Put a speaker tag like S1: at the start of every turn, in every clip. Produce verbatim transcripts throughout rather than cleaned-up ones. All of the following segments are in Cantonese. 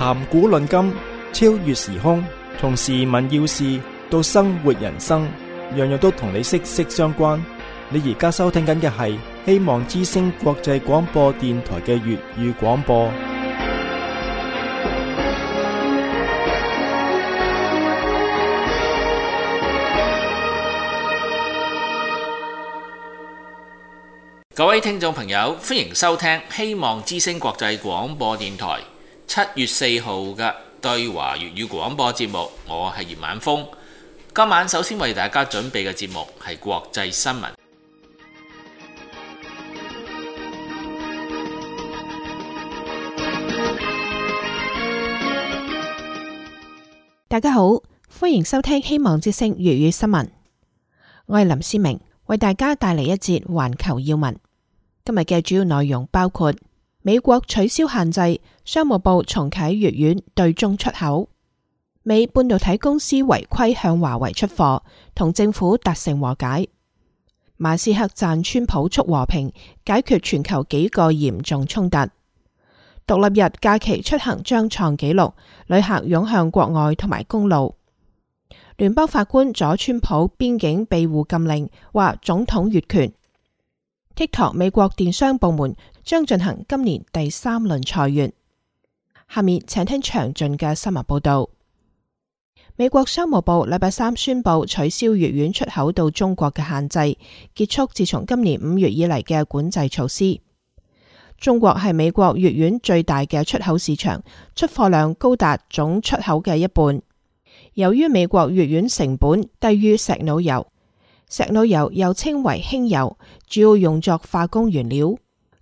S1: 談古論今，超越時空，從時聞要事到生活人生，樣樣都同你息息相關。你而家收聽緊嘅係希望之聲國際廣播電台嘅粵語廣播。
S2: 各位聽眾朋友，歡迎收聽希望之聲國際廣播電台七月四號嘅對華粵語廣播節目。我係葉晚風。今晚首先為大家準備嘅節目係國際新聞。
S3: 大家好，歡迎收聽希望之聲粵語新聞。我係林思明，為大家帶嚟一節環球要聞。今日嘅主要內容包括美國取消限制，商務部重啟粵元對中出口；美半導體公司違規向華為出貨，同政府達成和解；馬斯克讚川普促和平，解決全球幾個嚴重衝突；獨立日假期出行將創紀錄，旅客湧向國外同埋公路；聯邦法官阻川普邊境庇護禁令，話總統越權。TikTok 美國電商部門將進行今年第三輪裁員。下面請聽詳盡嘅新聞報道。美國商務部禮拜三宣布取消粵元出口到中國嘅限制，結束自從今年五月以嚟嘅管制措施。中國係美國粵元最大嘅出口市場，出貨量高達總出口嘅一半。由於美國粵元成本低於石腦油，石腦油又稱為輕油，主要用作化工原料。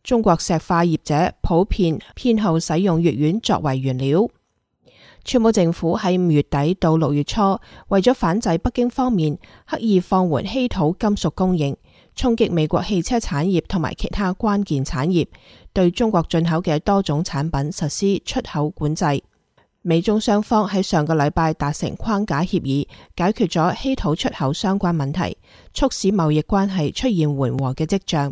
S3: 中國石化業者普遍偏好使用粵元作為原料。川普政府喺五月底到六月初，為咗反制北京方面刻意放緩稀土金屬供應，衝擊美國汽車產業同埋其他關鍵產業，對中國進口嘅多種產品實施出口管制。美中雙方喺上個禮拜達成框架協議，解決咗稀土出口相關問題，促使貿易關係出現緩和嘅跡象。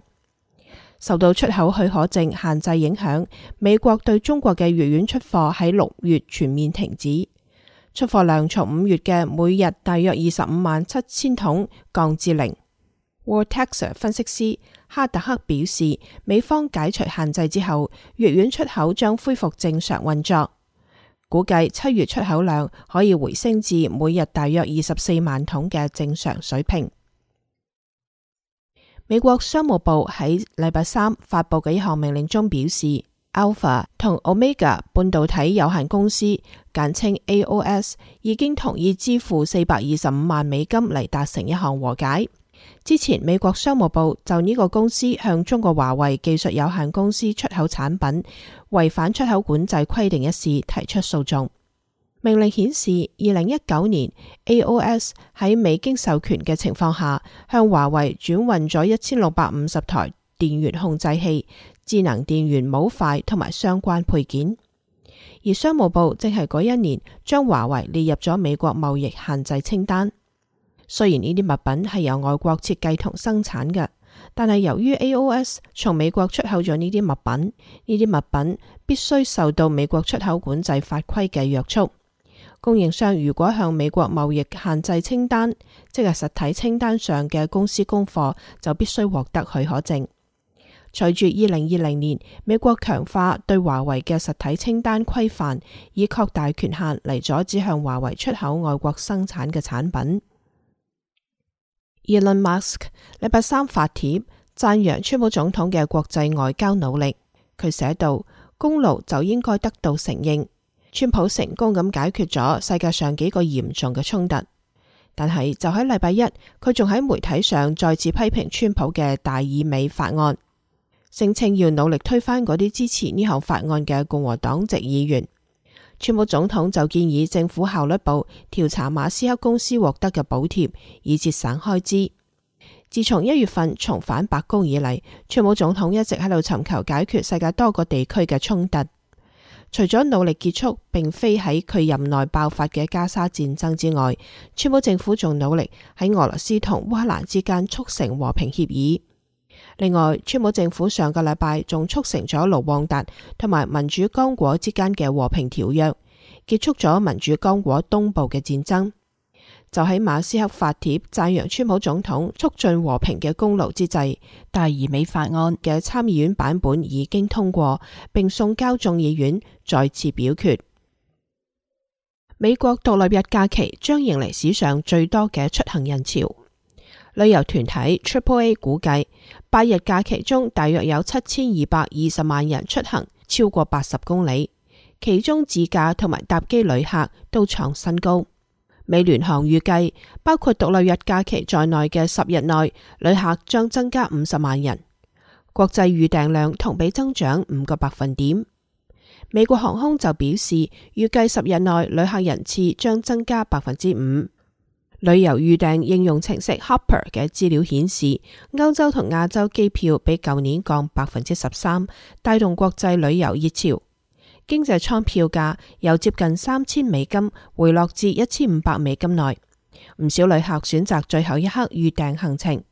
S3: 受到出口許可證限制影響，美國對中國嘅粵元出貨喺六月全面停止，出貨量從五月嘅每日大約二十五萬七千桶降至零。Vortex 分析師哈特克表示，美方解除限制之後，粵元出口將恢復正常運作。估計七月出口量可以回升至每日大約二十四萬桶嘅正常水平。美國商務部喺禮拜三發佈嘅一項命令中表示， Alpha 同 Omega 半導體有限公司簡稱 A O S 已經同意支付四百二十五萬美金嚟達成一項和解。之前美國商務部就呢個公司向中國華為技術有限公司出口產品違反出口管制規定一事提出訴訟。命令顯示，二零一九年 A O S 喺未經授權嘅情況下，向華為轉運咗一千六百五十台電源控制器、智能電源模塊同埋相關配件。而商務部正係嗰一年將華為列入咗美國貿易限制清單。雖然呢啲物品係由外國設計同生產嘅，但係由於 A O S 從美國出口咗呢啲物品，呢啲物品必須受到美國出口管制法規嘅約束。供應商如果向美國貿易限制清單，即係實體清單上嘅公司供貨，就必須獲得許可證。隨住二零二零年美國強化對華為嘅實體清單規範，以擴大權限嚟阻止向華為出口外國生產嘅產品。Elon Musk 禮拜三發帖讚揚川普總統嘅國際外交努力。佢寫道：功勞就應該得到承認，川普成功咁解決咗世界上幾個嚴重嘅衝突。但係就喺禮拜一，佢仲喺媒體上再次批評川普嘅大義美法案，聲稱要努力推翻嗰啲支持呢項法案嘅共和黨籍議員。川普總統就建議政府效率部調查馬斯克公司獲得嘅補貼，以節省開支。自從一月份重返白宮以嚟，川普總統一直喺度尋求解決世界多個地區嘅衝突。除咗努力結束並非喺佢任內爆發嘅加沙戰爭之外，川普政府仲努力喺俄羅斯同烏克蘭之間促成和平協議。另外，川普政府上個禮拜仲促成咗盧旺達同埋民主剛果之間嘅和平條約，結束咗民主剛果東部嘅戰爭。就喺馬斯克發帖讚揚川普總統促進和平嘅功勞之際，大而美法案嘅參議院版本已經通過，並送交眾議院再次表決。美國獨立日假期將迎嚟史上最多嘅出行人潮。旅遊團體 Triple A 估計，八日假期中大約有七千二百二十萬人出行，超過八十公里，其中自駕同埋搭機旅客都創新高。美聯航預計，包括獨立日假期在內嘅十日內，旅客將增加五十萬人，國際預訂量同比增長五個百分點。美國航空就表示，預計十日內旅客人次將增加百分之五。旅遊預訂應用程式 Hopper 嘅資料顯示，歐洲同亞洲機票比舊年降百分之十三，帶動國際旅遊熱潮。經濟艙票價由接近三千美金回落至一千五百美金內，唔少旅客選擇最後一刻預訂行程。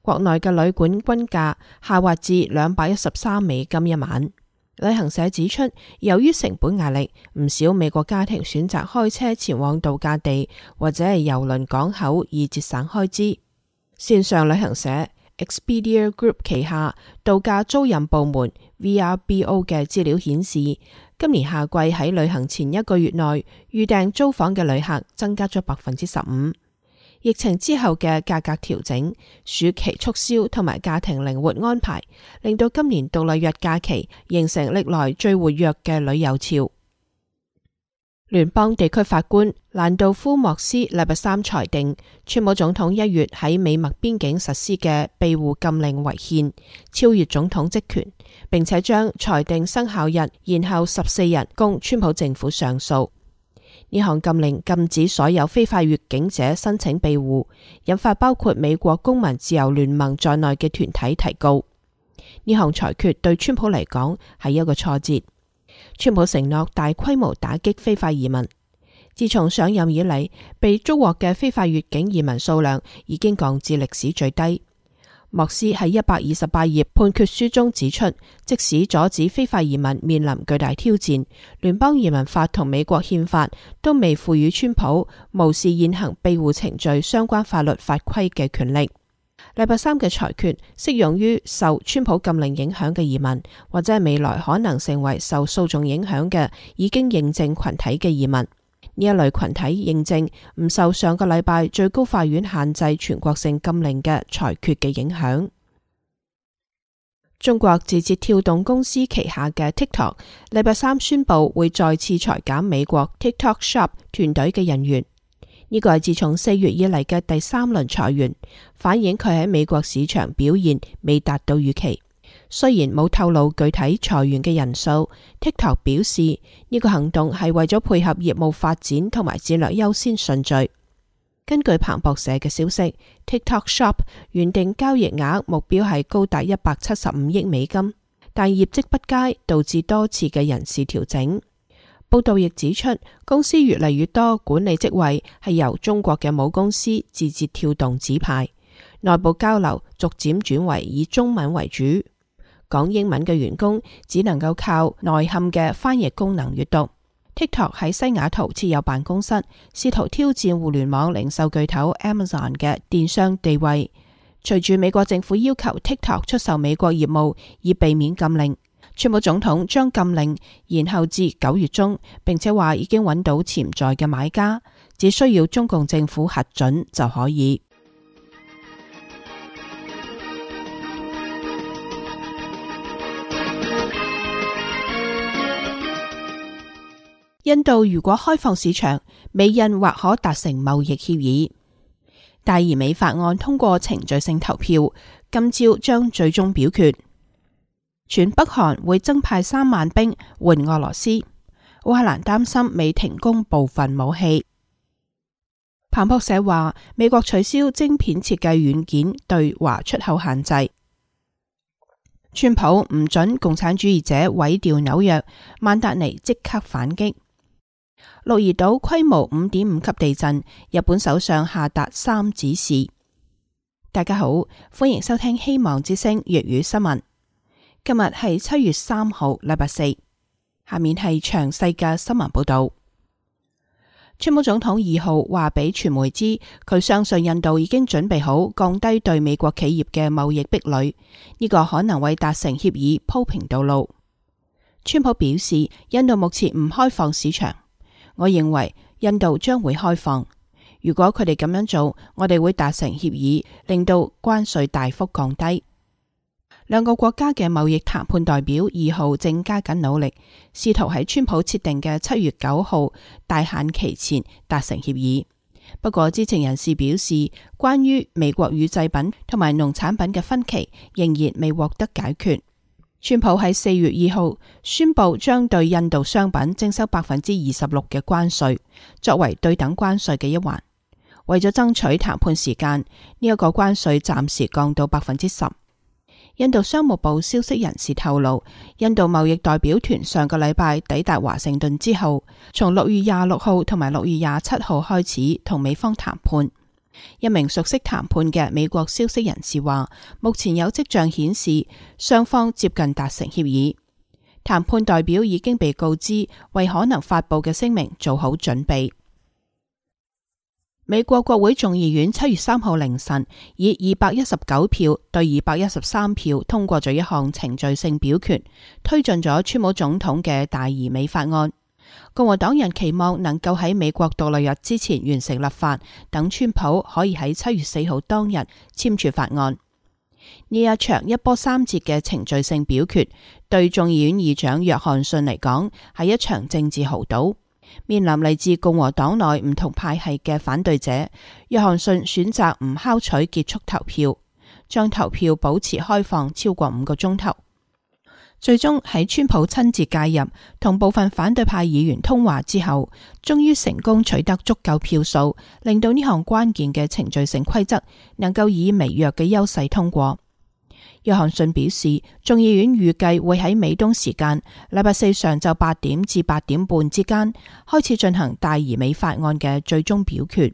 S3: 國內嘅旅館均價下滑至兩百一十三美金一晚。旅行社指出，由於成本壓力，唔少美國家庭選擇開車前往度假地或者係郵輪港口以節省開支。線上旅行社 Expedia Group 旗下度假租賃部門 V R B O 嘅資料顯示，今年夏季喺旅行前一個月內預訂租房嘅旅客增加咗百分之十五。疫情之後嘅價格調整、暑期促銷同埋家庭靈活安排，令到今年獨立日假期形成歷來最活躍嘅旅遊潮。聯邦地區法官蘭道夫莫斯禮拜三裁定，川普總統一月喺美墨邊境實施嘅庇護禁令違憲，超越總統職權，並且將裁定生效日延後十四日供川普政府上訴。呢項禁令禁止所有非法越境者申請庇護，引發包括美國公民自由聯盟在內嘅團體提告。呢項裁決對川普嚟講係一個挫折。川普承諾大規模打擊非法移民，自從上任以嚟，被捉獲嘅非法越境移民數量已經降至歷史最低。莫斯喺一百二十八頁判決書中指出，即使阻止非法移民面臨巨大挑戰，聯邦移民法同美國憲法都未賦予川普無視現行庇護程序相關法律法規嘅權力。禮拜三嘅裁決適用於受川普禁令影響嘅移民，或者係未來可能成為受訴訟影響嘅已經認證群體嘅移民。呢一類群體認證唔受上個禮拜最高法院限制全國性禁令嘅裁決嘅影響。中國字節跳動公司旗下嘅 TikTok 禮拜三宣布會再次裁減美國 TikTok Shop 團隊嘅人員。呢個係自從四月以嚟嘅第三輪裁員，反映佢喺美國市場表現未達到預期。雖然冇透露具體裁員嘅人數， TikTok 表示呢個行動係為咗配合業務發展同埋戰略優先順序。根據彭博社嘅消息， TikTok Shop 原定交易額目標係高達一百七十五億美金，但業績不佳導致多次嘅人事調整。報道亦指出，公司越嚟越多管理職位係由中國嘅母公司字節跳動指派，內部交流逐漸轉為以中文為主。講英文嘅員工只能夠靠內嵌嘅翻譯功能閱讀。TikTok 喺西雅圖設有辦公室，試圖挑戰互聯網零售巨頭 Amazon 嘅電商地位。隨住美國政府要求 TikTok 出售美國業務以避免禁令，川普總統將禁令延後至九月中，並且話已經揾到潛在嘅買家，只需要中共政府核准就可以。印度如果開放市場，美印或可達成貿易協議。大而美法案通過程序性投票，今朝將最終表決。全北韓會增派三萬兵援俄羅斯。烏克蘭擔心未停供部分武器。彭博社話，美國取消晶片設計軟件對華出口限制。川普唔准共產主義者毀掉紐約，曼達尼即刻反擊。鹿兒島規模五點五級地震，日本首相下達三指示。大家好，歡迎收聽希望之聲粵語新聞。今日係七月三號，禮拜四。下面係詳細嘅新聞報道。川普總統二號話俾傳媒知，佢相信印度已經準備好降低對美國企業嘅貿易壁壘，呢個可能為達成協議鋪平道路。川普表示，印度目前唔開放市場，我認為印度將會開放。如果佢哋咁樣做，我哋會達成協議，令到關稅大幅降低。兩個國家嘅貿易談判代表二號正加緊努力，試圖喺川普設定嘅七月九號大限期前達成協議。不過知情人士表示，關於美國乳製品同埋農產品嘅分歧仍然未獲得解決。川普喺四月二號宣布將對印度商品徵收百分之二十六嘅關稅，作為對等關稅嘅一環。為咗爭取談判時間，呢一個關稅暫時降到百分之十。印度商務部消息人士透露，印度貿易代表團上個禮拜抵達華盛頓之後，從六月廿六號同埋六月廿七號開始同美方談判。一名熟悉談判嘅美國消息人士話，目前有跡象顯示雙方接近達成協議。談判代表已經被告知為可能發佈嘅聲明做好準備。美國國會眾議院七月三號凌晨以二百一十九票對二百一十三票通過咗一項程序性表決，推進咗川普總統嘅大移美法案。共和黨人期望能夠喺美國獨立日之前完成立法，等川普可以喺七月四號當日簽署法案。呢一場一波三折嘅程序性表決，對眾議院議長約翰遜嚟講係一場政治豪賭。面臨嚟自共和黨內唔同派系嘅反對者，約翰遜選擇唔敲取結束投票，將投票保持開放超過五個鐘頭。最終喺川普親自介入，同部分反對派議員通話之後，終於成功取得足夠票數，令到呢項關鍵嘅程序性規則能夠以微弱嘅優勢通過。約翰遜表示，眾議院預計會喺美東時間禮拜四上晝八點至八點半之間開始進行大移美法案嘅最終表決。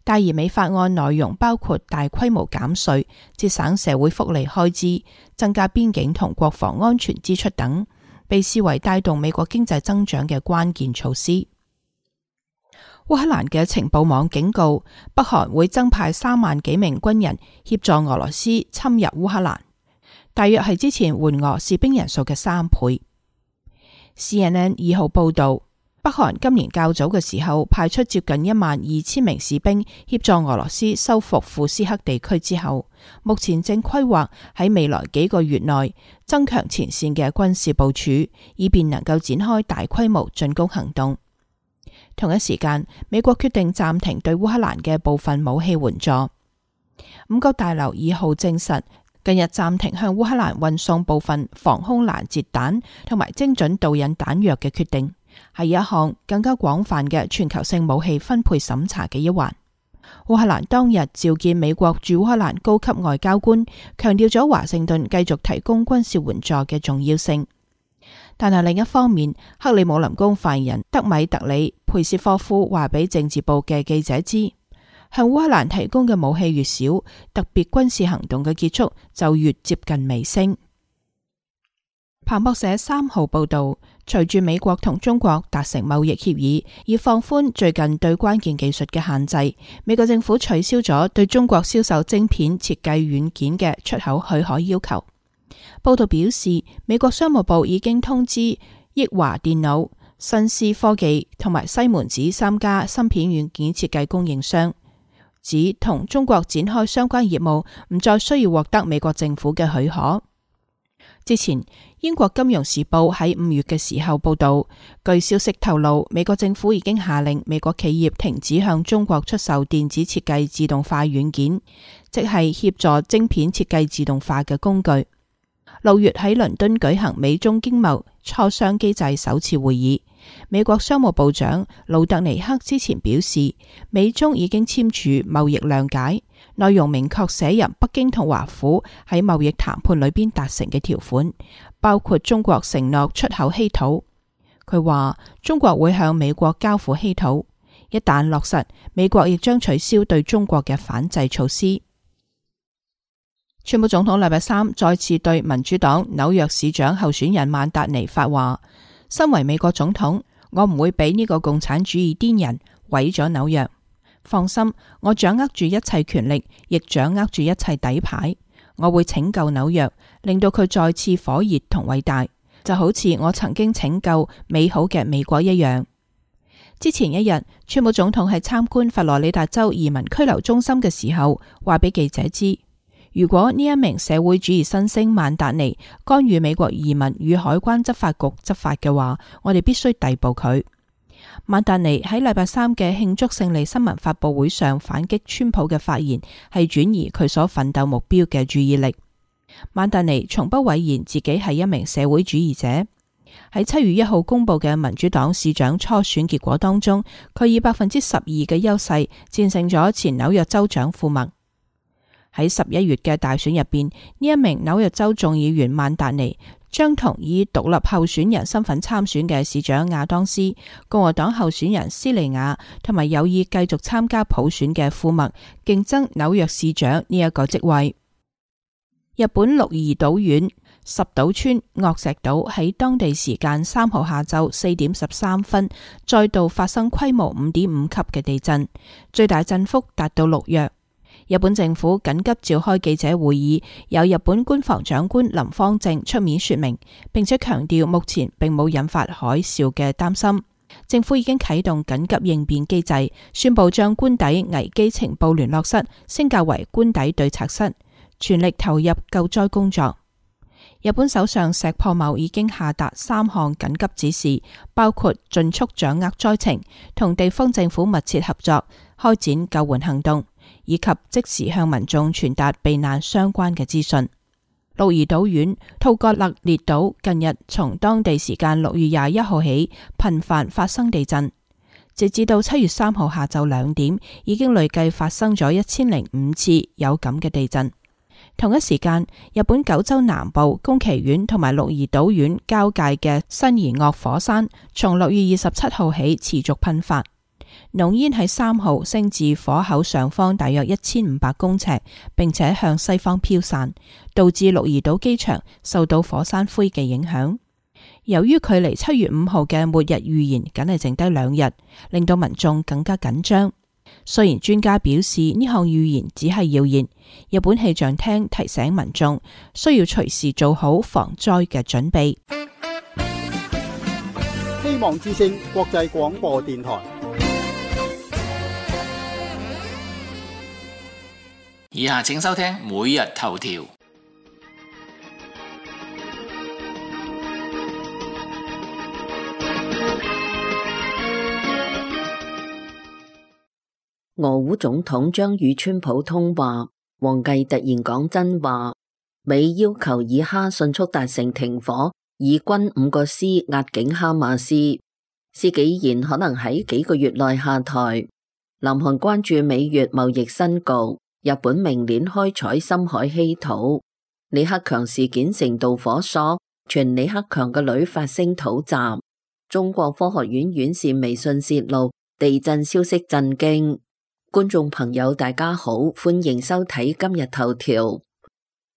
S3: 大移美法案內容包括大規模減稅、節省社會福利開支、增加邊境同國防安全支出等，被視為帶動美國經濟增長嘅關鍵措施。烏克蘭嘅情報網警告，北韓會增派三萬幾名軍人協助俄羅斯侵入烏克蘭，大約係之前援俄士兵人數嘅三倍。C N N 二號報道，北韓今年較早嘅時候派出接近一萬二千名士兵協助俄羅斯收復庫斯克地區之後，目前正規劃喺未來幾個月內增強前線嘅軍事部署，以便能夠展開大規模進攻行動。同一時間，美國決定暫停對烏克蘭嘅部分武器援助。五角大樓二號證實，近日暫停向烏克蘭運送部分防空攔截彈同埋精準導引彈藥嘅決定，係一項更加廣泛嘅全球性武器分配審查嘅一環。烏克蘭當日召見美國駐烏克蘭高級外交官，強調咗華盛頓繼續提供軍事援助嘅重要性。但係另一方面，克里姆林宮發言人德米特里佩斯科夫話俾政治部嘅記者知，向烏克蘭提供嘅武器越少，特別軍事行動嘅結束就越接近尾聲。彭博社三號報道，隨住美國同中國達成貿易協議，以放寬最近對關鍵技術嘅限制，美國政府取消咗對中國銷售晶片設計軟件嘅出口許可要求。報道表示，美國商務部已經通知益華電腦、新思科技同埋西門子三家芯片軟件設計供應商，指同中國展開相關業務唔再需要獲得美國政府嘅許可。之前，英國金融時報喺五月嘅時候報道，據消息透露，美國政府已經下令美國企業停止向中國出售電子設計自動化軟件，即係協助晶片設計自動化嘅工具。六月喺倫敦舉行美中經貿磋商機制首次會議，美國商務部長魯特尼克之前表示，美中已經簽署貿易諒解，內容明確寫入北京同華府喺貿易談判裏邊達成嘅條款，包括中國承諾出口稀土。佢話中國會向美國交付稀土，一旦落實，美國亦將取消對中國嘅反制措施。川普總統禮拜三再次對民主黨紐約市長候選人曼達尼發話：身為美國總統，我唔會俾呢個共產主義癲人毀咗紐約。放心，我掌握住一切權力，亦掌握住一切底牌。我會拯救紐約，令到佢再次火熱同偉大，就好似我曾經拯救美好嘅美國一樣。之前一日，川普總統喺參觀佛羅里達州移民拘留中心嘅時候，話俾記者知，如果呢一名社會主義新星曼達尼干預美國移民與海關執法局執法嘅話，我哋必須逮捕佢。曼達尼喺禮拜三嘅慶祝勝利新聞發佈會上反擊川普嘅發言，係轉移佢所奮鬥目標嘅注意力。曼達尼從不諱言自己係一名社會主義者。喺七月一號公布嘅民主黨市長初選結果當中，佢以百分之十二嘅優勢戰勝咗前紐約州長庫默。喺十一月嘅大選入邊，呢一名紐約州眾議員曼達尼將同以獨立候選人身份參選嘅市長亞當斯、共和黨候選人斯利亞同埋有意繼續參加普選嘅庫默競爭紐約市長呢一個職位。日本鹿兒島縣十島村岳石島喺當地時間三號下晝四點十三分再度發生規模五點五級嘅地震，最大震幅達到六弱。日本政府緊急召開記者會議，由日本官房長官林芳正出面說明，並且強調目前並冇引發海嘯嘅擔心。政府已經啟動緊急應變機制，宣布將官邸危機情報聯絡室升格為官邸對策室，全力投入救災工作。日本首相石破茂已經下達三項緊急指示，包括盡速掌握災情，同地方政府密切合作，開展救援行動，以及即時向民眾傳達避難相關嘅資訊。鹿兒島縣吐葛勒列島近日從當地時間六月廿一號起頻繁發生地震，直至到七月三號下晝兩點，已經累計發生咗一千零五次有感嘅地震。同一時間，日本九州南部宮崎縣同埋鹿兒島縣交界嘅新貽岳火山，從六月二十七號起持續噴發，濃煙喺三號升至火口上方大約一千五百公尺，並且向西方飄散，導致鹿兒島機場受到火山灰嘅影響。由於距離七月五號嘅末日預言僅係剩低兩日，令到民眾更加緊張。雖然專家表示呢項預言只係謠言，日本氣象廳提醒民眾需要隨時做好防災嘅準備。
S4: 希望之聲國際廣播電台。
S2: 以下請收聽每日頭條。
S5: 俄烏總統將與川普通話，王毅突然講真話，美要求以哈迅速達成停火，以軍五個師壓境哈馬斯，施紀賢可能喺幾個月內下台。南韓關注美越貿易新局，日本明年開採深海稀土。李克強事件成導火索，傳李克強嘅女發聲討襲。中國科學院院士微信泄露地震消息震驚。觀眾朋友大家好，歡迎收睇今日頭條。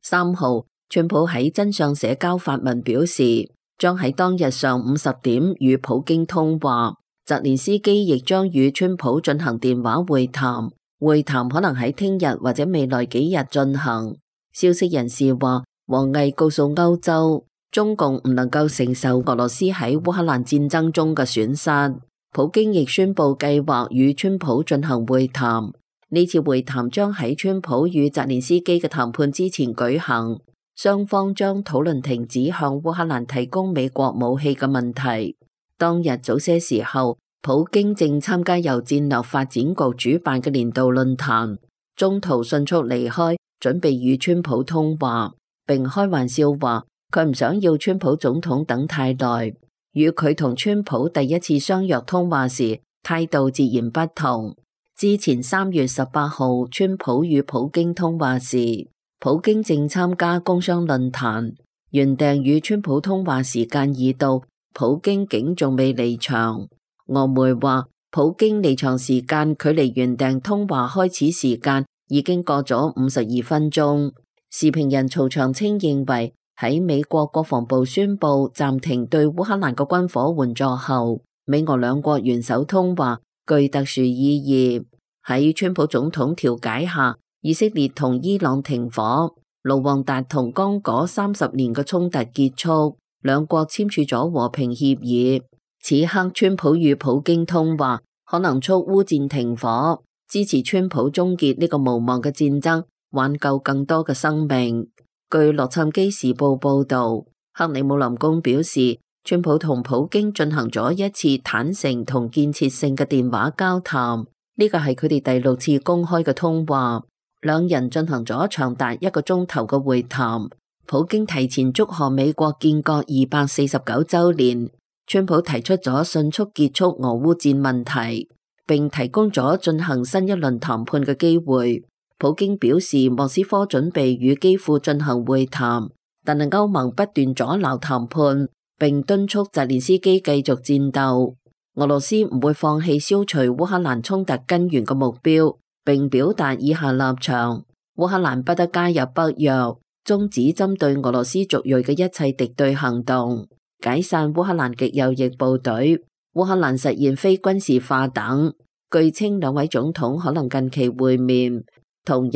S5: 三號，川普喺真相社交發文表示，將喺當日上午十點與普京通話，澤連斯基亦將與川普進行電話會談，會談可能喺聽日或者未來幾日進行。消息人士話，王毅告訴歐洲，中共唔能夠承受俄羅斯喺烏克蘭戰爭中嘅損失。普京亦宣布計劃與川普進行會談，呢次會談將喺川普與澤連斯基嘅談判之前舉行，雙方將討論停止向烏克蘭提供美國武器嘅問題。當日早些時候，普京正參加由戰略發展局主辦嘅年度論壇，中途迅速離開，準備與川普通話，並開玩笑話佢唔想要川普總統等太耐。與佢同川普第一次相約通話時態度截然不同。之前三月十八號，川普與普京通話時，普京正參加工商論壇，原定與川普通話時間已到，普京竟仲未離場。俄媒話，普京離場時間距離原定通話開始時間已經過咗五十二分鐘。時評人曹長青認為，喺美國國防部宣布暫停對烏克蘭嘅軍火援助後，美俄兩國元首通話具特殊意義。喺川普總統調解下，以色列同伊朗停火，盧旺達同剛果三十年嘅衝突結束，兩國簽署咗和平協議。此刻川普與普京通話，可能促烏戰停火，支持川普終結呢個無望嘅戰爭，挽救更多嘅生命。據洛杉磯時報報道，克里姆林宮表示，川普同普京進行咗一次坦誠同建設性嘅電話交談，呢個係佢哋第六次公開嘅通話。兩人進行咗長達一個鐘頭嘅會談。普京提前祝賀美國建國二百四十九週年，川普提出咗迅速結束俄烏戰問題，並提供咗進行新一輪談判嘅機會。普京表示莫斯科準備與基輔進行會談，但係歐盟不斷阻撓談判，並敦促澤連斯基繼續戰鬥。俄羅斯唔會放棄消除烏克蘭衝突根源嘅目標，並表達以下立場：烏克蘭不得加入北約，終止針對俄羅斯族裔嘅一切敵對行動，解散烏克蘭極右翼部隊，烏克蘭實現非軍事化等。據稱兩位總統可能近期會面。同日，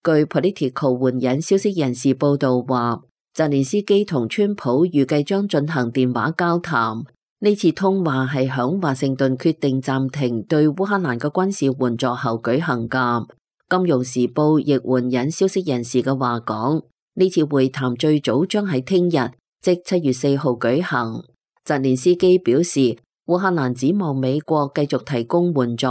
S5: 據 Politico 援引消息人士報道話，澤連斯基同川普預計將進行電話交談。呢次通話係響華盛頓決定暫停對烏克蘭嘅軍事援助後舉行㗎。金融時報亦援引消息人士嘅話講，呢次會談最早將喺聽日，即七月四號舉行。澤連斯基表示，烏克蘭指望美國繼續提供援助，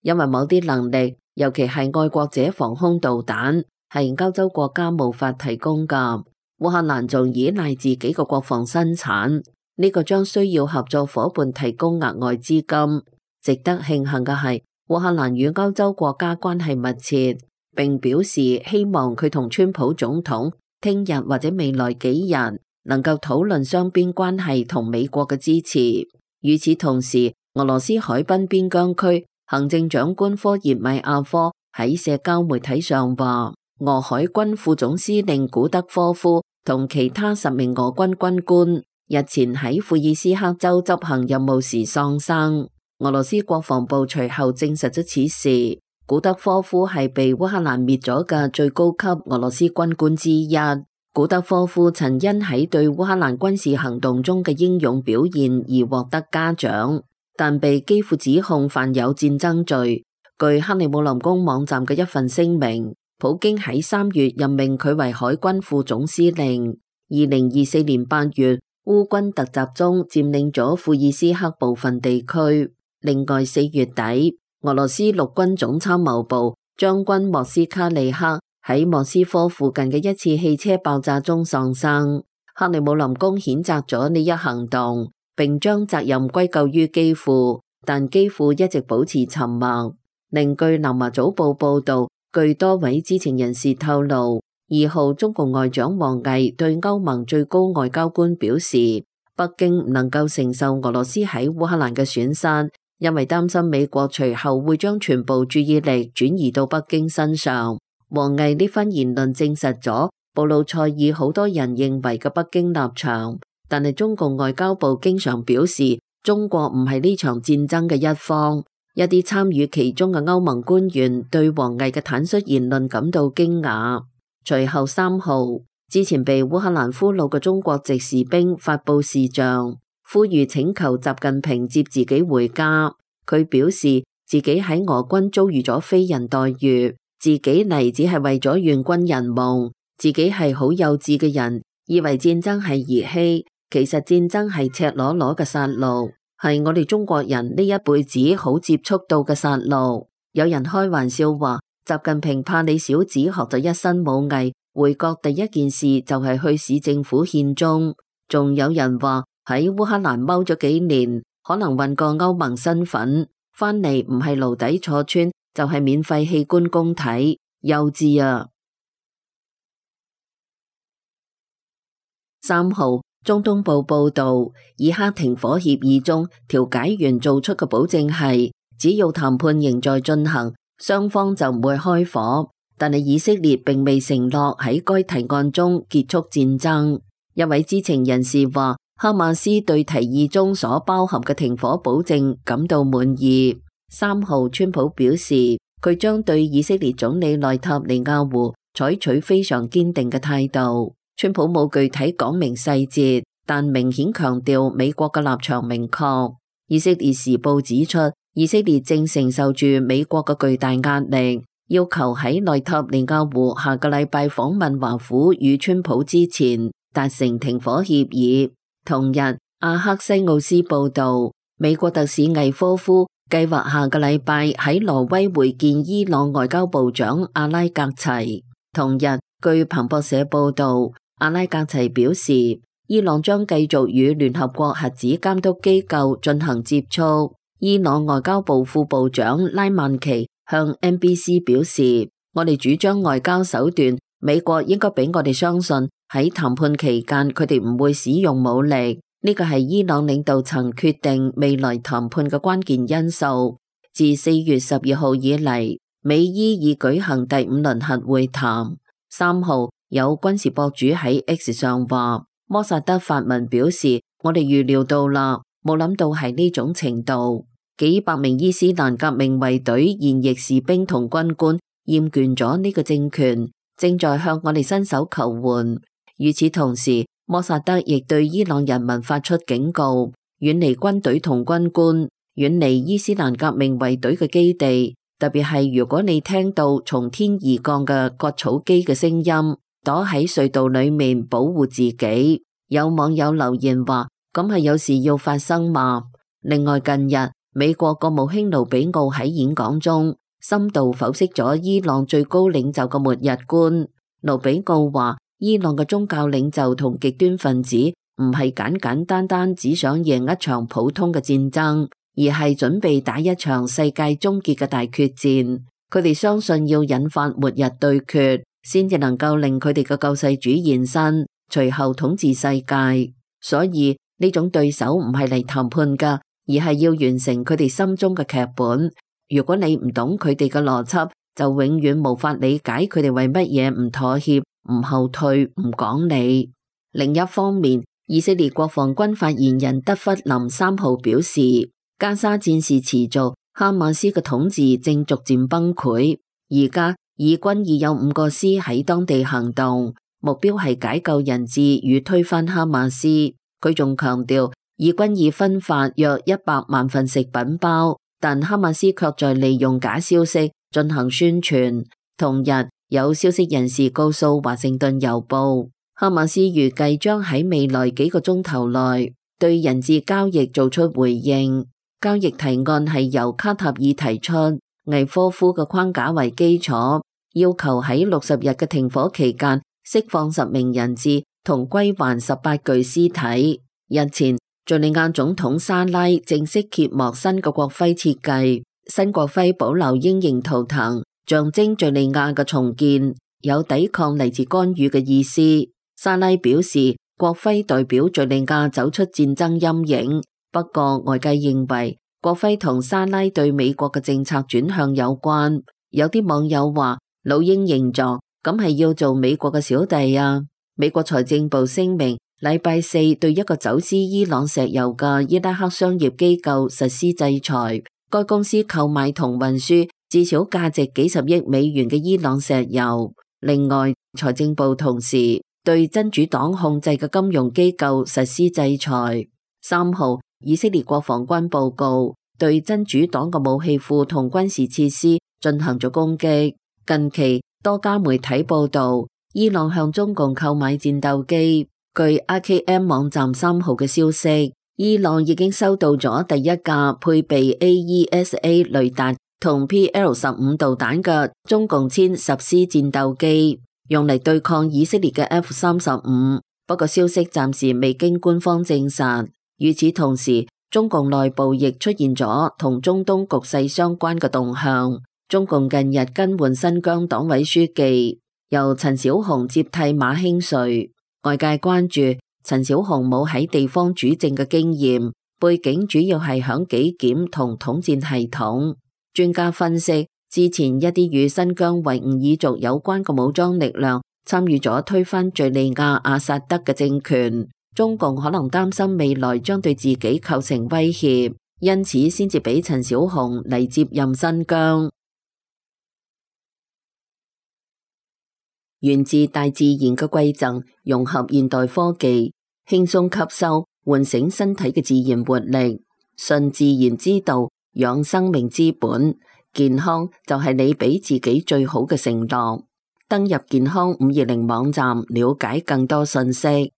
S5: 因為某啲能力，尤其係愛國者防空導彈，係歐洲國家無法提供㗎。烏克蘭仲依賴自己嘅國防生產，呢個將需要合作夥伴提供額外資金。值得慶幸嘅係，烏克蘭與歐洲國家關係密切，並表示希望佢同川普總統聽日或者未來幾日能夠討論雙邊關係同美國嘅支持。與此同時，俄羅斯海濱邊疆區行政長官科葉米亞科喺社交媒體上話，俄海軍副總司令古德科夫同其他十名俄軍軍官日前喺庫爾斯克州執行任務時喪生。俄羅斯國防部隨後證實咗此事。古德科夫係被烏克蘭滅咗嘅最高級俄羅斯軍官之一。古德科夫曾因喺對烏克蘭軍事行動中嘅英勇表現而獲得嘉獎，但被基輔指控犯有戰爭罪。據克里姆林宮網站嘅一份聲明，普京喺三月任命佢為海軍副總司令。二零二四年八月，烏軍突襲中佔領咗庫爾斯克部分地區。另外四月底，俄羅斯陸軍總參謀部將軍莫斯卡利克喺莫斯科附近嘅一次汽車爆炸中喪生。克里姆林宮譴責咗呢一行動，並將責任歸咎於基輔，但基輔一直保持沉默。另據南華早報報道，據多位知情人士透露，二號中共外長王毅對歐盟最高外交官表示，北京唔能夠承受俄羅斯喺烏克蘭嘅損失，因為擔心美國隨後會將全部注意力轉移到北京身上。王毅呢番言論證實咗布魯塞爾好多人認為嘅北京立場，但係中共外交部經常表示，中國唔係呢場戰爭嘅一方。一啲參與其中嘅歐盟官員對王毅嘅坦率言論感到驚訝。隨後三號，之前被烏克蘭俘虜嘅中國籍士兵發布視像，呼籲請求習近平接自己回家。佢表示自己喺俄軍遭遇咗非人待遇，自己嚟只係為咗願軍人夢，自己係好幼稚嘅人，以為戰爭係兒戲，其實戰爭係赤裸裸嘅殺戮，係我哋中國人呢一輩子好接觸到嘅殺戮。有人開玩笑話，習近平怕你小子學咗一身武藝，回國第一件事就係去市政府獻忠。仲有人話喺烏克蘭踎咗幾年，可能混過歐盟身份，翻嚟唔係牢底坐穿，就係免費器官供體，幼稚啊！三號，中東報報道，以哈停火協議中，調解員做出嘅保證係，只要談判仍在進行，雙方就唔會開火。但係以色列並未承諾喺該提案中結束戰爭。一位知情人士話，哈馬斯對提議中所包含嘅停火保證感到滿意。三號，川普表示佢將對以色列總理內塔尼亞胡採取非常堅定嘅態度。川普冇具體講明細節，但明顯強調美國嘅立場明確。以色列時報指出，以色列正承受住美國嘅巨大壓力，要求喺內塔尼亞胡下個禮拜訪問華府與川普之前達成停火協議。同日，阿克西奧斯報道，美國特使魏科夫計劃下個禮拜喺挪威會見伊朗外交部長阿拉格齊。同日，據彭博社報道，阿拉格齊表示，伊朗將繼續與聯合國核子監督機構進行接觸。伊朗外交部副部長拉曼奇向 N B C 表示，我哋主張外交手段，美國應該俾我哋相信喺談判期間佢哋唔會使用武力。呢個係伊朗領導層決定未來談判嘅關鍵因素。自四月十二號以嚟，美伊已舉行第五輪核會談。三號，有軍事博主喺 X 上話，摩薩德發文表示，我哋預料到啦，冇諗到係呢種程度。幾百名伊斯蘭革命衛隊現役士兵同軍官厭倦咗呢個政權，正在向我哋伸手求援。與此同時，摩薩德亦對伊朗人民發出警告，遠離軍隊同軍官，遠離伊斯蘭革命衛隊嘅基地，特別係如果你聽到從天而降嘅割草機嘅聲音，躲喺隧道裏面保護自己。有網友留言話，咁係有事要發生嘛？另外，近日美國國務卿盧比奧喺演講中深度剖析咗伊朗最高領袖嘅末日觀。盧比奧話，伊朗嘅宗教領袖同極端分子唔係簡簡單單只想贏一場普通嘅戰爭，而係準備打一場世界終結嘅大決戰。佢哋相信要引發末日對決，先至能夠令佢哋嘅救世主現身，隨後統治世界。所以呢種對手唔係嚟談判㗎，而係要完成佢哋心中嘅劇本。如果你唔懂佢哋嘅邏輯，就永遠無法理解佢哋為乜嘢唔妥協、唔後退、唔講理。另一方面，以色列國防軍發言人德弗林三號表示，加沙戰事持續，哈馬斯嘅統治正逐漸崩潰。而家以軍已有五個師喺當地行動，目標係解救人質與推翻哈馬斯。佢仲強調，以軍已分發約一百萬份食品包，但哈馬斯卻在利用假消息進行宣傳。同日，有消息人士告訴華盛頓郵報，哈馬斯預計將喺未來幾個鐘頭內對人質交易做出回應。交易提案係由卡塔爾提出，魏科夫嘅框架為基礎，要求喺六十日嘅停火期間釋放十名人質同歸還十八具屍體。日前，敘利亞總統沙拉正式揭幕新嘅國徽設計，新國徽保留鷹形圖騰，象徵敘利亞嘅重建，有抵抗嚟自干預嘅意思。沙拉表示，國徽代表敘利亞走出戰爭陰影。不過外界認為國徽同沙拉對美國嘅政策轉向有關。有啲網友話，老鷹形狀咁係要做美國嘅小弟啊。美國財政部聲明，禮拜四對一個走私伊朗石油嘅伊拉克商業機構實施制裁，該公司購買同運輸至少價值幾十億美元嘅伊朗石油。另外，財政部同時對真主黨控制嘅金融機構實施制裁。三號，以色列國防軍報告對真主黨嘅武器庫同軍事設施進行咗攻擊。近期多家媒體報道，伊朗向中共購買戰鬥機。據 R K M 網站三號嘅消息，伊朗已經收到咗第一架配備 A E S A 雷達同 P L 十五導彈嘅中共殲十 C 戰鬥機，用嚟對抗以色列嘅 F 三十五。不過消息暫時未經官方證實。與此同時，中共內部亦出現咗同中東局勢相關嘅動向。中共近日更換新疆黨委書記，由陳小紅接替馬興瑞。外界關注陳小紅冇喺地方主政嘅經驗，背景主要係響紀檢同統戰系統。專家分析，之前一啲與新疆維吾爾族有關嘅武裝力量參與咗推翻敘利亞阿薩德嘅政權。中共可能擔心未來將對自己構成威脅，因此先至俾陳小紅嚟接任新疆。源自大自然嘅饋贈，融合現代科技，輕鬆吸收，喚醒身體嘅自然活力。順自然之道，養生命之本。健康就係你俾自己最好嘅承諾。登入健康五二零網站，了解更多信息。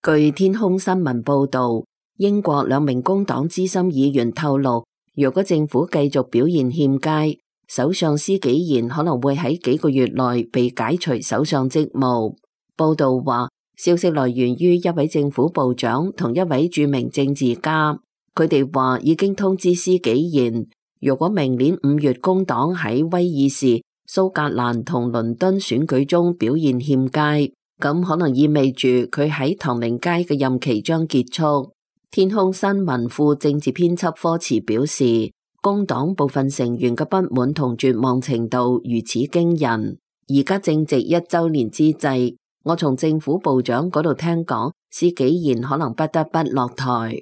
S5: 據天空新聞報道，英國兩名工黨資深議員透露，若果政府繼續表現欠佳，首相施紀賢可能會喺幾個月內被解除首相職務。報道話，消息來源於一位政府部長同一位著名政治家，佢哋話已經通知施紀賢，如果明年五月工黨喺威爾士、蘇格蘭同倫敦選舉中表現欠佳，咁可能意味住佢喺唐寧街嘅任期將結束。天空新聞副政治編輯科茨表示，工黨部分成員嘅不滿同絕望程度如此驚人，而家正值一周年之際，我從政府部長嗰度聽講，施紀賢可能不得不落台。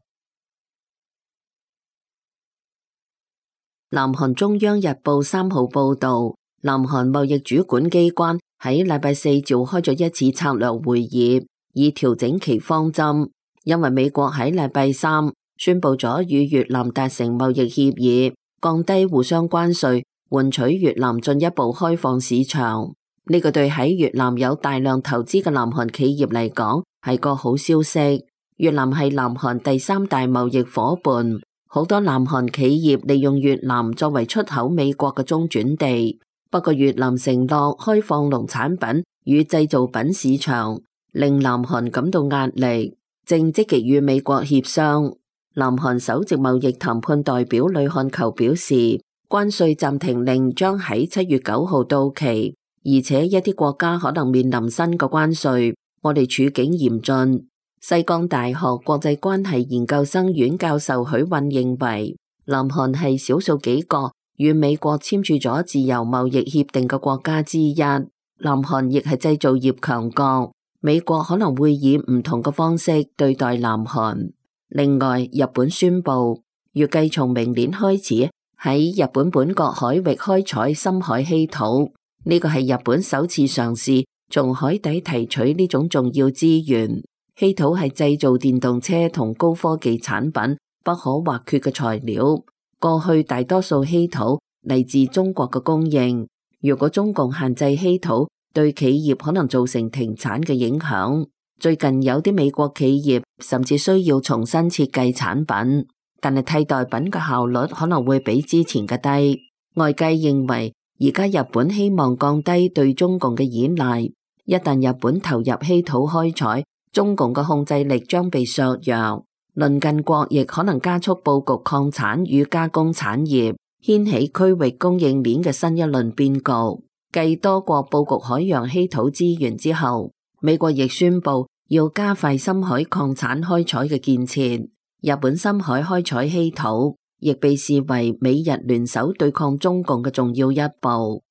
S5: 南韓中央日報三號報道，南韓貿易主管機關喺禮拜四召開咗一次策略會議，以調整其方針。因為美國喺禮拜三宣布咗與越南達成貿易協議，降低互相關稅，換取越南進一步開放市場。呢個對喺越南有大量投資嘅南韓企業嚟講係個好消息。越南係南韓第三大貿易夥伴。好多南韓企業利用越南作為出口美國嘅中轉地，不過越南承諾開放農產品與製造品市場，令南韓感到壓力，正積極與美國協商。南韓首席貿易談判代表呂漢球表示，關稅暫停令將喺七月九號到期，而且一啲國家可能面臨新嘅關稅，我哋處境嚴峻。西江大學國際關係研究生院教授許韻認為，南韓係少數幾個與美國簽署咗自由貿易協定嘅國家之一。南韓亦係製造業強國，美國可能會以唔同嘅方式對待南韓。另外，日本宣布預計從明年開始喺日本本國海域開採深海稀土，呢個係日本首次嘗試從海底提取呢種重要資源。稀土係製造電動車同高科技產品不可或缺嘅材料。過去大多數稀土嚟自中國嘅供應，如果中共限制稀土，對企業可能造成停產嘅影響。最近有啲美國企業甚至需要重新設計產品，但係替代品嘅效率可能會比之前嘅低。外界認為，而家日本希望降低對中共嘅依賴，一旦日本投入稀土開採，中共嘅控制力將被削弱，鄰近國亦可能加速布局礦產與加工產業，掀起區域供應鏈嘅新一輪變局。繼多國布局海洋稀土資源之後，美國亦宣布要加快深海礦產開採嘅建設。日本深海開採稀土亦被視為美日聯手對抗中共嘅重要一步。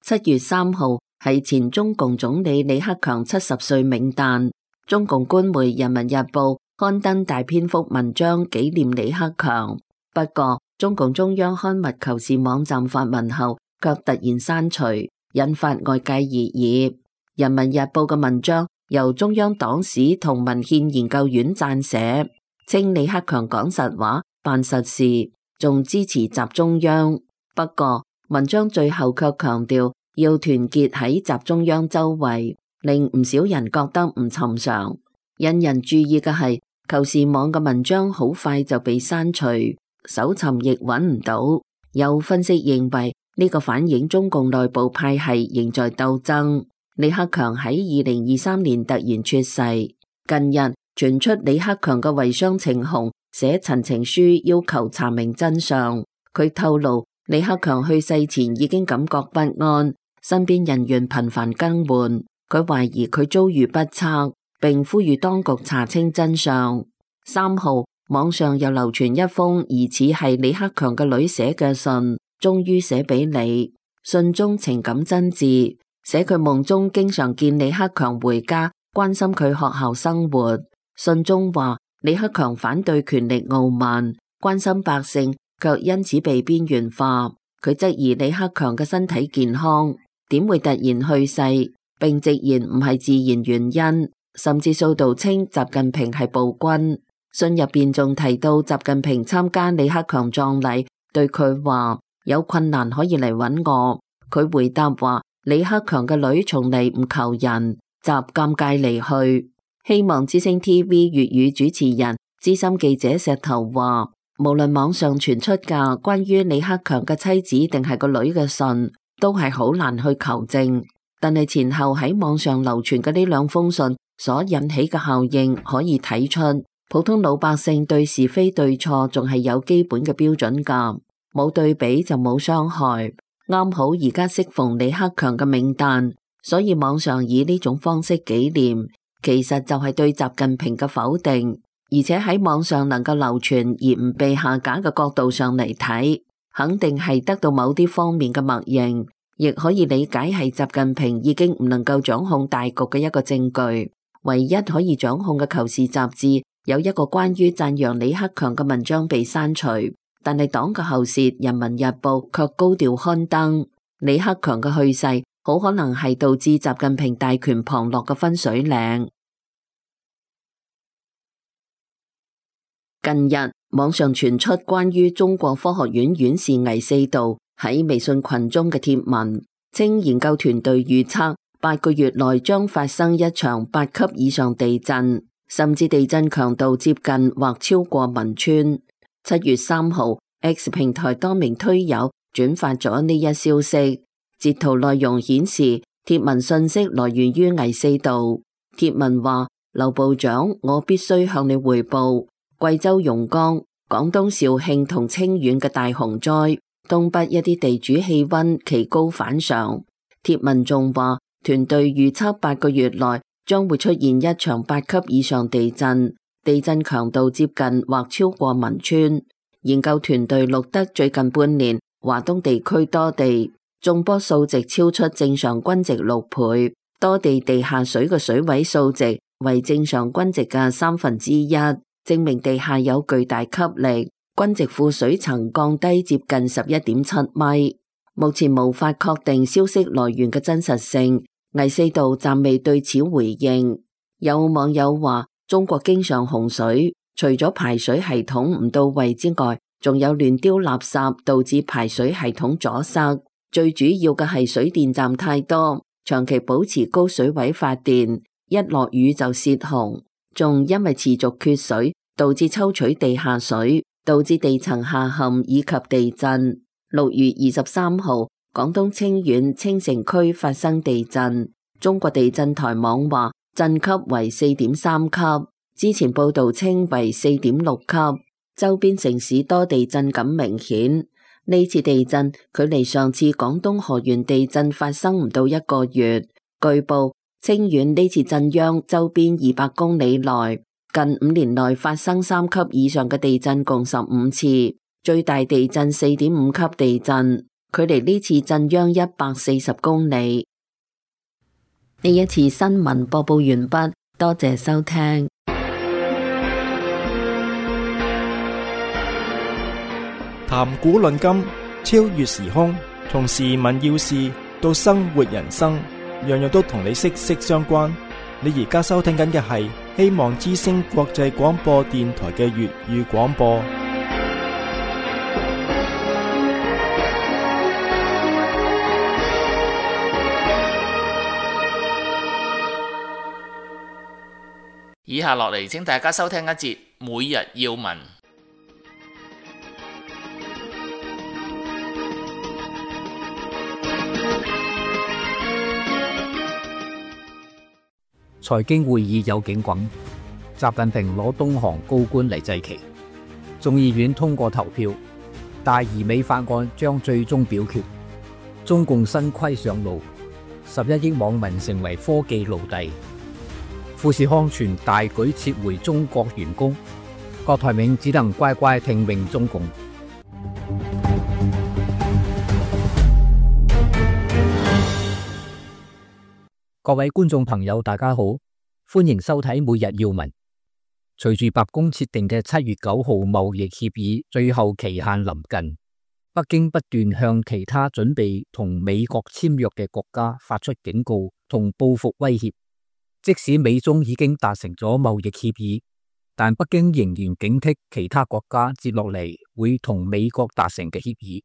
S5: 七月三號係前中共總理李克強七十歲冥誕，中共官媒《人民日報》刊登大篇幅文章紀念李克強。不過，中共中央刊物求是網站發文後，卻突然刪除，引發外界熱議。《人民日報》嘅文章由中央黨史同文獻研究院撰寫，稱李克強講實話、辦實事，仲支持習中央。不過，文章最後卻強調要團結喺習中央周圍，令唔少人覺得唔尋常。引人注意嘅係，求是網嘅文章好快就被刪除，搜尋亦揾唔到。有分析認為，呢個反映中共內部派系仍在鬥爭。李克強喺二零二三年突然猝逝，近日傳出李克強嘅遺孀程虹寫陳情書要求查明真相。佢透露，李克強去世前已經感覺不安，身邊人員頻繁更換，佢懷疑佢遭遇不測，並呼籲當局查清真相。三號，網上又流傳一封疑似係李克強嘅女寫嘅信，終於寫俾你。信中情感真摯，寫佢夢中經常見李克強回家，關心佢學校生活。信中話李克強反對權力傲慢，關心百姓，卻因此被邊緣化。佢質疑李克強嘅身體健康，點會突然去世，並直言唔係自然原因，甚至數度稱習近平係暴君。信入邊仲提到習近平參加李克強葬禮，對佢話有困難可以嚟揾我。佢回答話李克強嘅女從嚟唔求人，習尷尬離去。希望之聲 T V 粵語主持人資深記者石頭話，無論網上傳出嘅關於李克強嘅妻子定係個女嘅信，都係好難去求證。但係前後喺網上流傳嘅呢兩封信所引起嘅效應，可以睇出普通老百姓對是非對錯仲係有基本嘅標準㗎。冇對比就冇傷害。啱好而家適逢李克強嘅冥誕，所以網上以呢種方式紀念，其實就係對習近平嘅否定。而且喺網上能夠流傳而唔被下架嘅角度上嚟睇，肯定係得到某啲方面嘅默認，亦可以理解係習近平已經唔能夠掌控大局嘅一個證據。唯一可以掌控嘅《求是》雜誌有一個關於讚揚李克強嘅文章被刪除，但係黨嘅喉舌《人民日報》卻高調刊登。李克強嘅去世好可能係導致習近平大權旁落嘅分水嶺。近日網上傳出關於中國科學院院士倪四道喺微信群中嘅貼文，稱研究團隊預測八個月內將發生一場八級以上地震，甚至地震強度接近或超過汶川。七月三號 X 平台多名推友轉發咗呢一消息，截圖內容顯示貼文信息來源於倪四道。貼文話：劉部長，我必須向你匯報貴州榕江、廣東肇慶同清遠嘅大洪災，東北一啲地主氣溫奇高反常。貼文仲話，團隊預測八個月內將會出現一場八級以上地震，地震強度接近或超過汶川。研究團隊錄得最近半年華東地區多地中波數值超出正常均值六倍，多地地下水嘅水位數值為正常均值嘅三分之一。證明地下有巨大吸力，均值庫水層降低接近十一點七米。目前無法確定消息來源嘅真實性，倪四道暫未對此回應。有網友話，中國經常洪水，除咗排水系統唔到位之外，仲有亂丟垃圾導致排水系統阻塞。最主要嘅係水電站太多，長期保持高水位發電，一落雨就泄洪。仲因為持續缺水，導致抽取地下水，導致地層下陷以及地震。六月二十三號，廣東清遠清城區發生地震，中國地震台網話震級為四點三級，之前報道稱為四點六級。周邊城市多地震感明顯，呢次地震距離上次廣東河源地震發生唔到一個月。據報，清遠呢次震央周邊二百公里內，近五年內發生三級以上嘅地震共十五次，最大地震四點五級地震，距離呢次震央一百四十公里。呢一次新聞播報完畢，多謝收聽。
S1: 談古論今，超越時空，從時聞要事到生活人生，樣樣都同你息息相關。你而家收聽緊嘅係希望之聲國際廣播電台嘅粵語廣播。
S2: 以下落嚟，請大家收聽一節每日要聞。
S6: 財經會議有警棍，習近平攞東航高官嚟祭旗。眾議院通過投票，大而美法案將最終表決。中共新規上路，十一億網民成為科技奴隸。富士康全大舉撤回中國員工，郭台銘只能乖乖聽命中共。各位觀眾朋友，大家好，歡迎收睇每日要聞。隨住白宮設定嘅七月九號貿易協議最後期限臨近，北京不斷向其他準備同美國簽約嘅國家發出警告同報復威脅。即使美中已經達成咗貿易協議，但北京仍然警惕其他國家接落嚟會同美國達成嘅協議，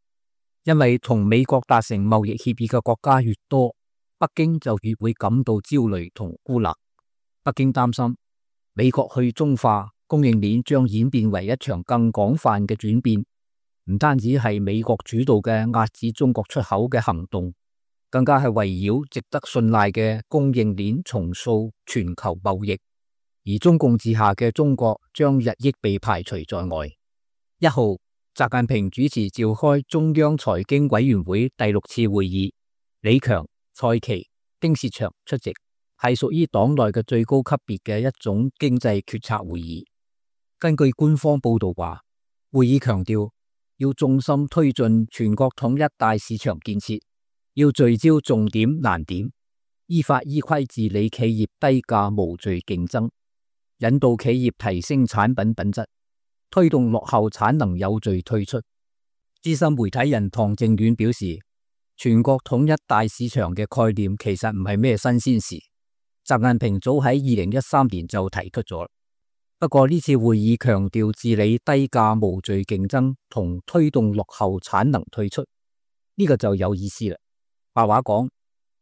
S6: 因為同美國達成貿易協議嘅國家越多，北京就越會感到焦慮同孤立。北京擔心美國去中化供應鏈將演變為一場更廣泛嘅轉變，唔單止係美國主導嘅壓制中國出口嘅行動，更加係圍繞值得信賴嘅供應鏈重塑全球貿易，而中共治下嘅中國將日益被排除在外。一號，習近平主持召開中央財經委員會第六次會議，李強、蔡奇、丁薛祥出席，係屬於黨內嘅最高級別嘅一種經濟決策會議。根據官方報道話，會議強調要重心推進全國統一大市場建設，要聚焦重點難點，依法依規治理企業低價無序競爭，引導企業提升產品品質，推動落後產能有序退出。資深媒體人唐正遠表示，全國統一大市場嘅概念其實唔係咩新鮮事，習近平早喺二零一三年就提出咗。不過呢次會議強調治理低價無序競爭同推動落後產能退出，呢個就有意思啦。白話講，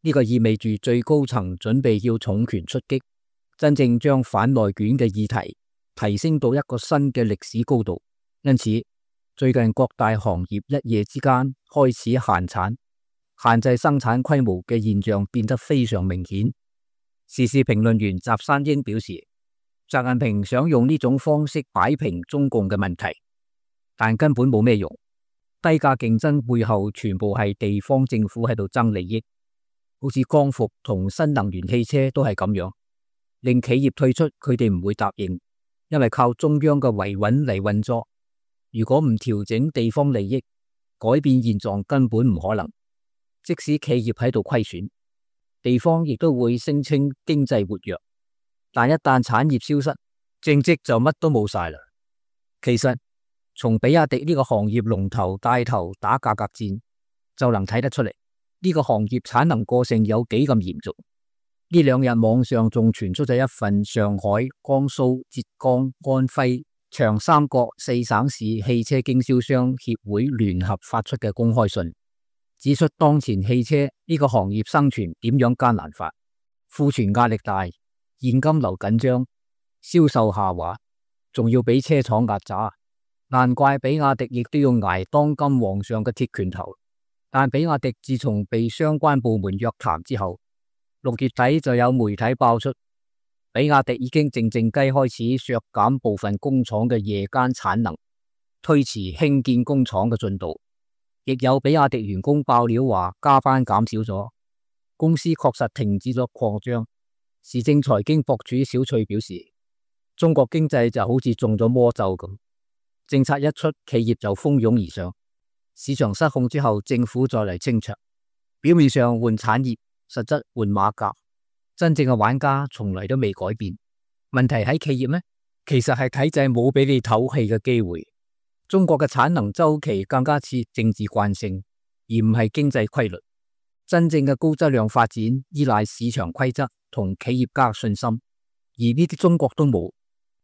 S6: 呢個意味住最高層準備要重拳出擊，真正將反內卷嘅議題提升到一個新嘅歷史高度。因此，最近各大行業一夜之間開始限產、限制生產規模嘅現象變得非常明顯。時事評論員翟山英表示，習近平想用呢種方式擺平中共嘅問題，但根本冇咩用。低價競爭背後全部係地方政府喺度爭利益，好似光伏同新能源汽車都係咁樣，令企業退出，佢哋唔會答應，因為靠中央嘅維穩嚟運作。如果唔調整地方利益，改變現狀根本唔可能。即使企業喺度虧損，地方亦都會聲稱經濟活躍，但一旦產業消失，政績就乜都冇晒啦。其實從比亞迪呢個行業龍頭帶頭打價格戰就能睇得出嚟，呢個行業產能過剩有幾咁嚴重。呢兩日網上仲傳出咗一份上海、江蘇、浙江、安徽、長三角四省市汽車經銷商協會聯合發出嘅公開信，指出當前汽車呢個行業生存點樣艱難法，庫存壓力大，現金流緊張，銷售下滑，仲要俾車廠壓榨。難怪比亞迪亦都要挨當今皇上嘅鐵拳頭。但比亞迪自從被相關部門約談之後，六月底就有媒體爆出，比亞迪已經靜靜雞開始削減部分工廠嘅夜間產能，推遲興建工廠嘅進度。亦有比亞迪員工爆料話加班減少咗，公司確實停止咗擴張。時政財經博主小翠表示，中國經濟就好似中咗魔咒咁。政策一出，企業就蜂擁而上，市場失控之後，政府再嚟清場。表面上換產業，實質換馬甲。真正嘅玩家從來都未改變。問題喺企業咩？其實係體制冇俾你唞氣嘅機會。中國嘅產能周期更加似政治慣性，而唔係經濟規律。真正嘅高質量發展依賴市場規則同企業家信心，而呢啲中國都冇。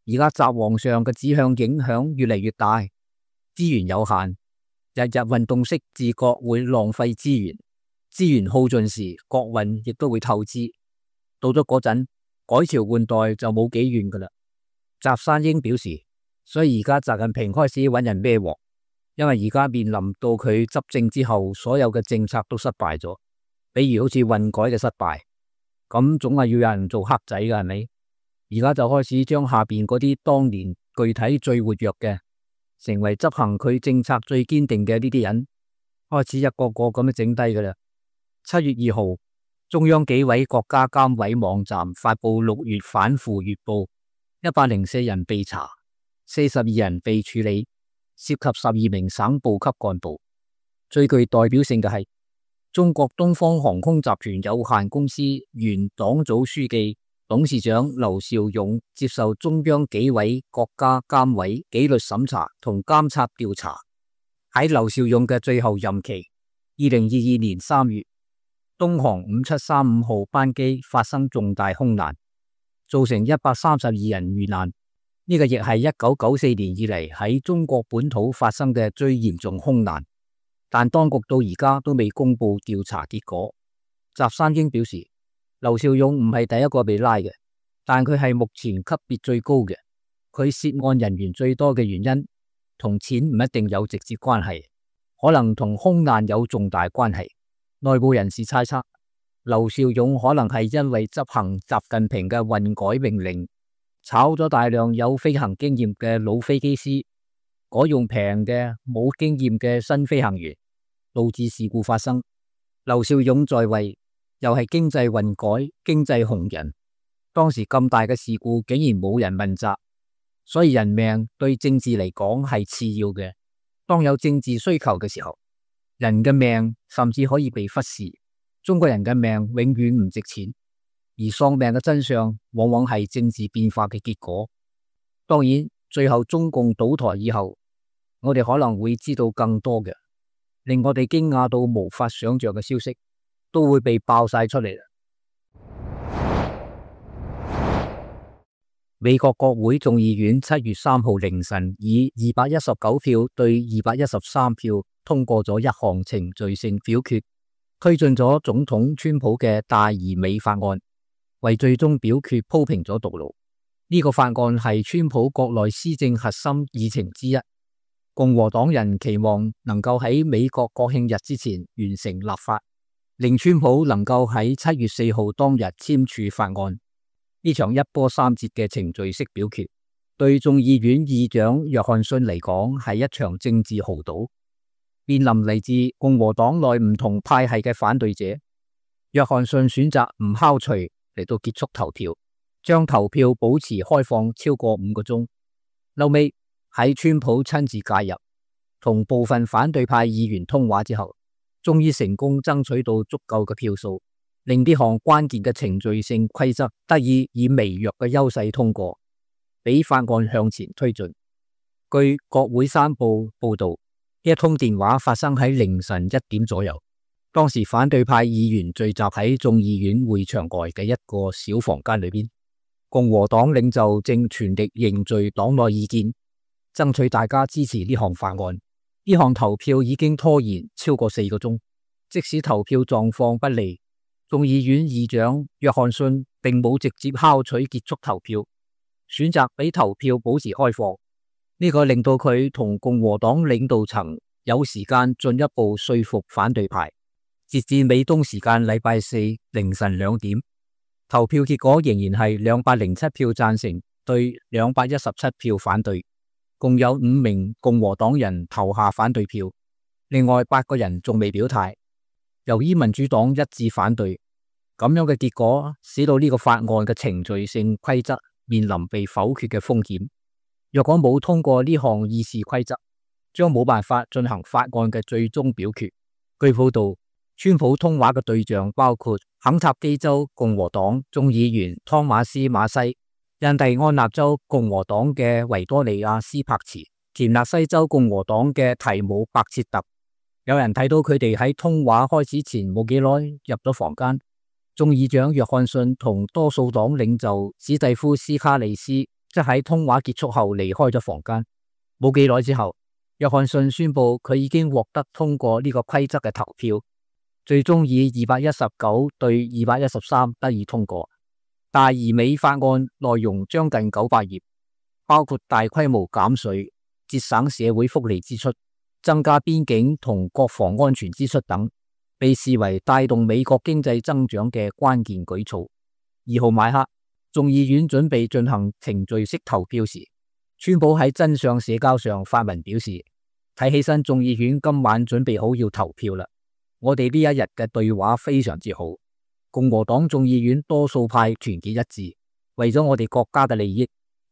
S6: 而家習皇上嘅指向影響越嚟越大，資源有限，日日運動式自覺會浪費資源，資源耗盡時，國運亦都會透支。到咗嗰陣，改朝換代就冇幾遠噶啦。翟山英表示，所以而家習近平開始揾人孭鑊，因為而家面臨到佢執政之後，所有嘅政策都失敗咗，比如好似運改嘅失敗，咁總係要有人做黑仔噶，係咪？而家就開始將下邊嗰啲當年具體最活躍嘅，成為執行佢政策最堅定嘅呢啲人，開始一個個咁樣整低噶啦。七月二號，中央紀委國家監委網站發布六月反腐月報，一百零四人被查，四十二人被處理，涉及十二名省部級幹部。最具代表性嘅係中國東方航空集團有限公司原黨組書記、董事長劉兆勇接受中央紀委國家監委紀律審查同監察調查。喺劉兆勇嘅最後任期，二零二二年三月，東航五七三五號班機發生重大空難，造成一百三十二人遇難。呢、這個亦係一九九四年以嚟喺中國本土發生嘅最嚴重空難，但當局到而家都未公布調查結果。習山英表示，劉兆勇唔係第一個被拉嘅，但佢係目前級別最高嘅。佢涉案人員最多嘅原因同錢唔一定有直接關係，可能同空難有重大關係。內部人士猜測，劉兆勇可能係因為執行習近平嘅運改命令，炒咗大量有飛行經驗嘅老飛機師，改用平嘅冇經驗嘅新飛行員，導致事故發生。劉兆勇在位又係經濟運改、經濟紅人，當時咁大嘅事故竟然冇人問責，所以人命對政治嚟講係次要嘅。當有政治需求嘅時候，人嘅命甚至可以被忽視。中國人嘅命永遠唔值錢，而喪命嘅真相往往係政治變化嘅結果。當然，最後中共倒台以後，我哋可能會知道更多嘅令我哋驚訝到無法想象嘅消息，都會被爆晒出嚟啦。美國國會眾議院七月三號凌晨以二百一十九票對二百一十三票通過咗一項程序性表決，推進咗總統川普嘅大而美法案，為最終表決鋪平咗道路。呢、這個法案係川普國內施政核心議程之一。共和黨人期望能夠喺美國國慶日之前完成立法，令川普能夠喺七月四號當日簽署法案。呢場一波三折嘅程序式表決，對眾議院議長約翰遜嚟講係一場政治豪賭。面臨嚟自共和黨內唔同派系嘅反對者，約翰遜選擇唔敲錘嚟到結束投票，將投票保持開放超過五個鐘。後尾喺川普親自介入，同部分反對派議員通話之後，終於成功爭取到足夠嘅票數，令呢項關鍵嘅程序性規則得以以微弱嘅優勢通過，俾法案向前推進。據國會山報報道，呢一通電話發生喺凌晨一點左右，當時反對派議員聚集喺眾議院會場外嘅一個小房間裏邊，共和黨領袖正全力凝聚黨內意見，爭取大家支持呢項法案。呢項投票已經拖延超過四個鐘，即使投票狀況不利，眾議院議長約翰遜並冇直接敲取結束投票，選擇俾投票保持開放。呢、這個令到佢同共和黨領導層有時間進一步說服反對派。截至美東時間禮拜四凌晨兩點，投票結果仍然係兩百零七票贊成對兩百一十七票反對，共有五名共和黨人投下反對票，另外八個人仲未表態。由於民主黨一致反對，咁樣嘅結果使到呢個法案嘅程序性規則面臨被否決嘅風險。若果冇通過呢項議事規則，將冇辦法進行法案嘅最終表決。據報道，川普通話嘅對象包括肯塔基州共和黨眾議員湯馬斯馬西、印第安納州共和黨嘅維多利亞斯柏茨、田納西州共和黨嘅提姆伯切特。有人睇到佢哋喺通話開始前冇幾耐入咗房間。眾議長約翰遜同多數黨領袖史蒂夫斯卡利斯即喺通話結束後離開咗房間。冇幾耐之後，約翰遜宣布佢已經獲得通過呢個規則嘅投票，最終以二百一十九對二百一十三得以通過。大而美法案內容將近九百頁，包括大規模減稅、節省社會福利支出、增加邊境同國防安全支出等，被視為帶動美國經濟增長嘅關鍵舉措。二號晚黑，眾議院準備進行程序式投票時，川普喺真相社交上發文表示，睇起身眾議院今晚準備好要投票啦。我哋呢一日嘅對話非常之好，共和黨眾議院多數派團結一致，為咗我哋國家嘅利益，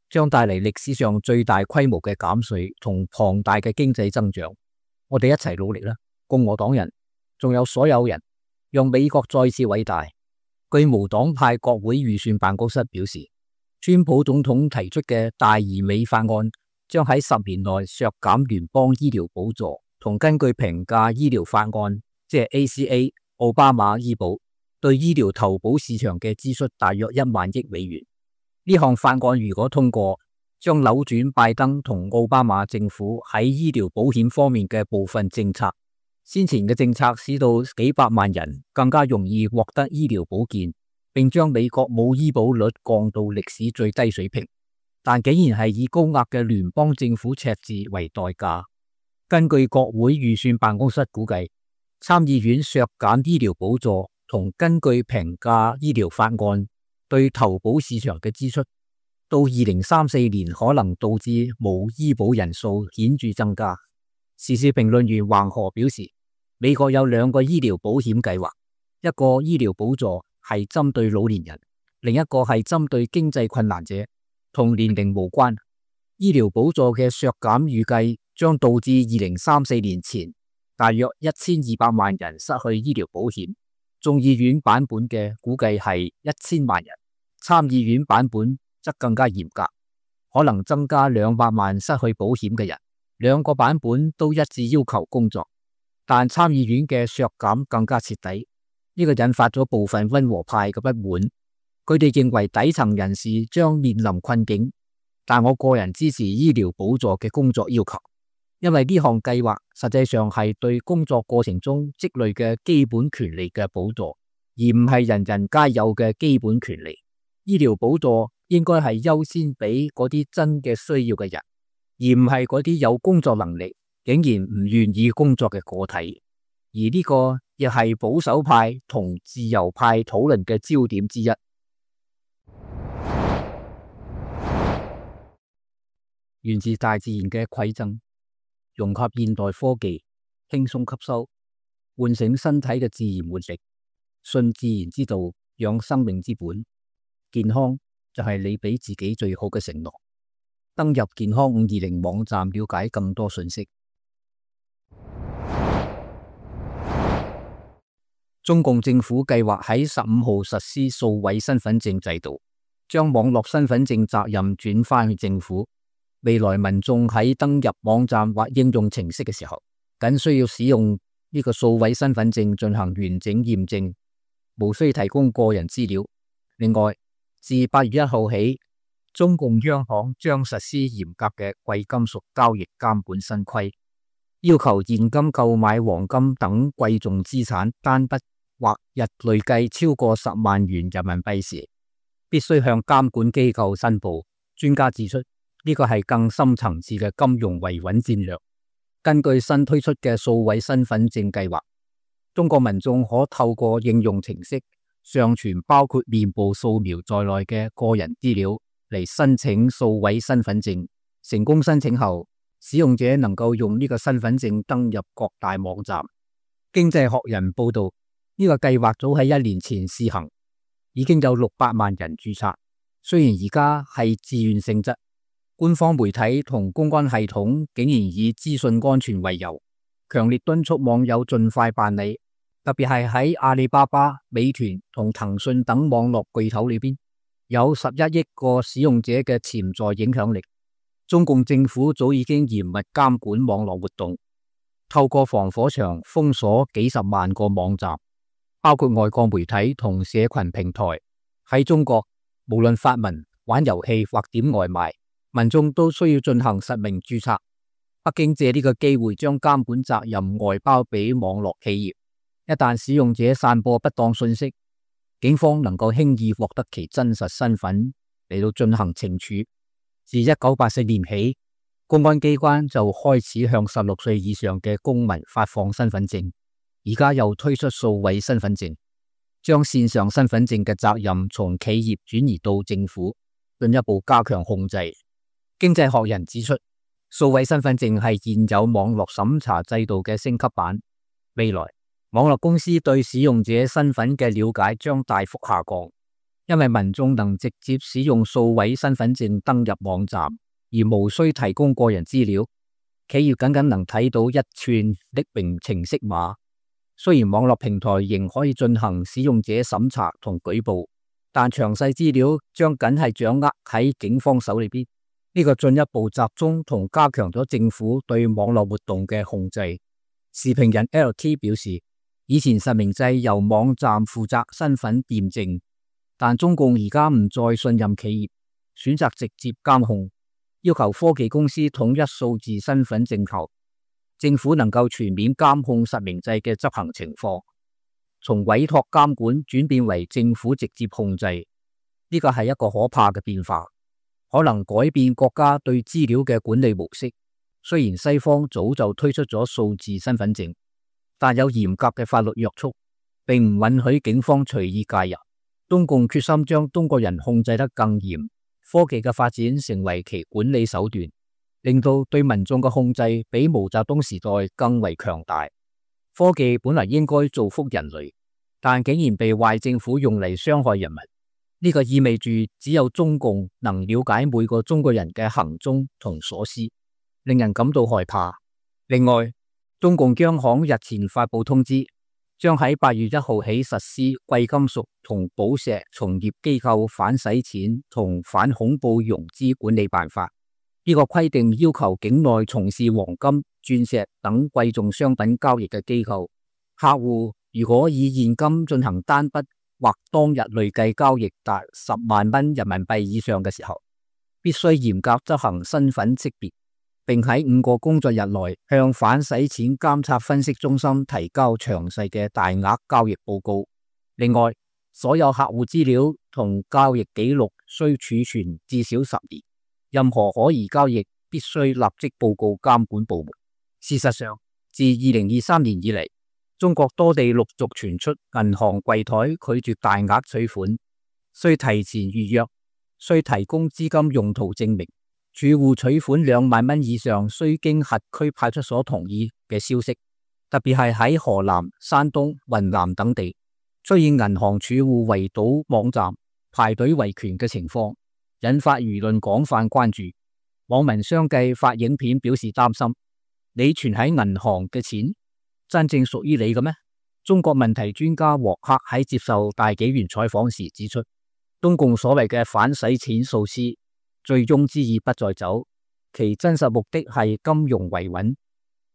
S6: 將帶嚟歷史上最大規模嘅減稅同龐大嘅經濟增長。我哋一齊努力啦，共和黨人，仲有所有人，讓美國再次偉大。據無黨派國會預算辦公室表示，川普總統提出嘅大而美法案將喺十年內削減聯邦醫療補助，同根據平價醫療法案，即係 A C A 奧巴馬醫保對醫療投保市場嘅支出大約一萬億美元。呢項法案如果通過，將扭轉拜登同奧巴馬政府喺醫療保險方面嘅部分政策。先前嘅政策使到幾百萬人更加容易獲得醫療保健，並將美國冇醫保率降到歷史最低水平，但竟然係以高額嘅聯邦政府赤字為代價。根據國會預算辦公室估計，參議院削減醫療補助同根據平價醫療法案對投保市場嘅支出，到二零三四年可能導致冇醫保人數顯著增加。時事評論員橫河表示，美國有兩個醫療保險計劃，一個醫療補助係針對老年人，另一個係針對經濟困難者，同年齡無關。醫療補助嘅削減預計將導致二零三四年前大約一千二百萬人失去醫療保險。眾議院版本嘅估計係一千萬人，參議院版本則更加嚴格，可能增加兩百萬失去保險嘅人。兩個版本都一致要求工作，但參議院嘅削減更加徹底，呢個引發咗部分溫和派嘅不滿。佢哋認為底層人士將面臨困境，但我個人支持醫療補助嘅工作要求，因為呢項計劃實際上係對工作過程中積累嘅基本權利嘅補助，而唔係人人皆有嘅基本權利。醫療補助應該係優先俾嗰啲真嘅需要嘅人，而唔係嗰啲有工作能力竟然唔願意工作嘅個體。而呢個亦係保守派同自由派討論嘅焦點之一。源自大自然嘅饋贈，融合現代科技，輕鬆吸收，喚醒身體嘅自然活力，信自然之道，養生命之本。健康就係你俾自己最好嘅承諾。登入健康五二零網站了解更多信息。中共政府計劃喺十五號實施數位身份證制度，將網絡身份證責任轉返去政府。未來民眾喺登入網站或應用程式嘅時候，僅需要使用呢個數位身份證進行完整驗證，無需提供個人資料。另外，自八月一號起，中共央行將實施嚴格嘅貴金屬交易監管新規，要求現金購買黃金等貴重資產單筆或日累計超過十萬元人民幣時，必須向監管機構申報。專家指出，呢個係更深層次嘅金融維穩戰略。根據新推出嘅數位身份證計劃，中國民眾可透過應用程式上傳包括面部掃描在內嘅個人資料嚟申請數位身份證。成功申請後，使用者能夠用呢個身份證登入各大網站。經濟學人報道，呢個計劃早喺一年前試行，已經有六百萬人註冊。雖然而家係自願性質，官方媒體同公關系統竟然以資訊安全為由，強烈敦促網友盡快辦理。特別係喺阿里巴巴、美團同騰訊等網絡巨頭裏邊，有十一億個使用者嘅潛在影響力。中共政府早已經嚴密監管網絡活動，透過防火牆封鎖幾十萬個網站，包括外國媒體同社群平台。喺中國，無論發文、玩遊戲或點外賣，民眾都需要進行實名註冊。北京借呢個機會將監管責任外包俾網絡企業。一旦使用者散播不當信息，警方能夠輕易獲得其真實身份嚟到進行懲處。自一九八四年起，公安機關就開始向十六歲以上嘅公民發放身份證，而家又推出數位身份證，將線上身份證嘅責任從企業轉移到政府，進一步加強控制。經濟學人指出，數位身份證係現有網絡審查制度嘅升級版，未來網絡公司對使用者身份嘅了解將大幅下降，因為民眾能直接使用數位身份證登入網站，而無需提供個人資料。企業僅僅能睇到一串匿名程式碼，雖然網絡平台仍可以進行使用者審查同舉報，但詳細資料將僅係掌握喺警方手裏邊。呢個進一步集中同加強咗政府對網絡活動嘅控制。時評人 L T 表示，以前實名制由網站負責身份驗證，但中共而家唔再信任企業，選擇直接監控，要求科技公司統一數字身份證後，政府能夠全面監控實名制嘅執行情況，從委託監管轉變為政府直接控制，呢個係一個可怕嘅變化，可能改變國家對資料嘅管理模式。雖然西方早就推出咗數字身份證，但有嚴格嘅法律約束，並唔允許警方隨意介入。中共決心將中國人控制得更嚴，科技嘅發展成為其管理手段，令到對民眾嘅控制比毛澤東時代更為強大。科技本來應該造福人類，但竟然被壞政府用嚟傷害人民。呢個意味住只有中共能了解每個中國人嘅行蹤同所思，令人感到害怕。另外，中共央行日前發布通知，將喺八月一號起實施貴金屬同寶石從業機構反洗錢同反恐怖融資管理辦法。呢個規定要求境內從事黃金、鑽石等貴重商品交易嘅機構，客戶如果以現金進行單筆或當日累計交易達十萬蚊人民幣以上嘅時候，必須嚴格執行身份識別，並喺五個工作日內向反洗錢監察分析中心提交詳細嘅大額交易報告。另外，所有客戶資料同交易記錄需儲存至少十年。任何可疑交易必須立即報告監管部門。事實上，自二零二三年以嚟，中國多地陸續傳出銀行櫃台拒絕大額取款、需提前預約、需提供資金用途證明、儲戶取款兩萬蚊以上需經轄區派出所同意嘅消息。特別係喺河南、山東、雲南等地，出現銀行儲戶圍堵網站、排隊維權嘅情況，引發輿論廣泛關注。網民相繼發影片表示擔心：你存喺銀行嘅錢真正屬於你嘅咩？中國問題專家王克喺接受大紀元採訪時指出，中共所謂嘅反洗錢措施，醉翁之意不在酒，其真實目的係金融維穩。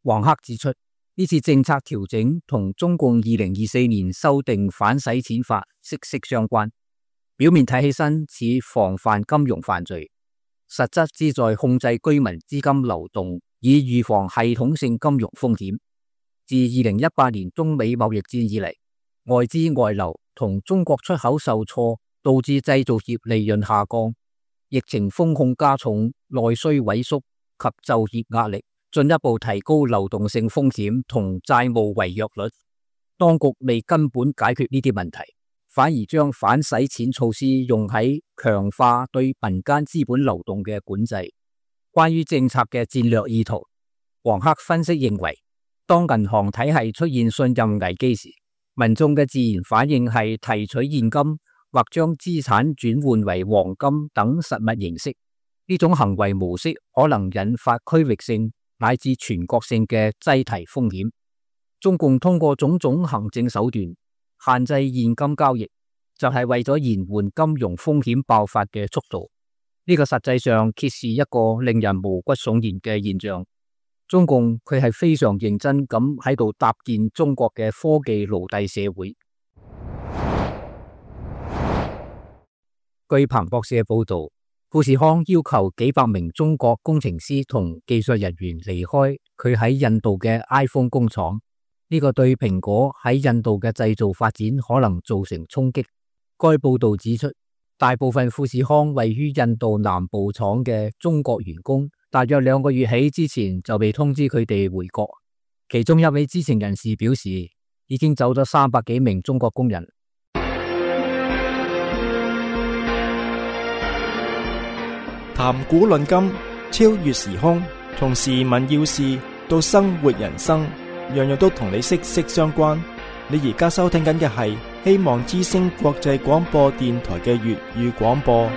S6: 王克指出，呢次政策調整同中共二零二四年修訂反洗錢法息息相關。表面睇起身似防範金融犯罪，實質旨在控制居民資金流動，以預防系統性金融風險。自二零一八年中美貿易戰以嚟，外資外流同中國出口受挫，導致製造業利潤下降，疫情風控加重，內需萎縮及就業壓力，進一步提高流動性風險同債務違約率。當局未根本解決呢啲問題，反而將反洗錢措施用喺強化對民間資本流動嘅管制。關於政策嘅戰略意圖，王克分析認為，當銀行體系出現信任危機時，民眾嘅自然反應係提取現金或將資產轉換為黃金等實物形式。呢種行為模式可能引發區域性乃至全國性嘅擠提風險。中共通過種種行政手段限制現金交易，就係為咗延緩金融風險爆發嘅速度。呢個實際上揭示一個令人毛骨悚然嘅現象。中共佢係非常認真咁喺度搭建中國嘅科技奴隸社會。據彭博社報道，富士康要求幾百名中國工程師同技術人員離開佢喺印度嘅 iPhone 工廠。呢個對蘋果喺印度嘅製造發展可能造成衝擊。該報道指出，大部分富士康位於印度南部廠嘅中國員工，大約兩個月起之前就被通知佢哋回國。其中一位知情人士表示，已經走咗三百幾名中國工人。
S1: 談古論今，超越時空，從時聞要事到生活人生，樣樣都同你息息相關。你而家收聽緊嘅係希望之聲國際廣播電台嘅粵語廣播。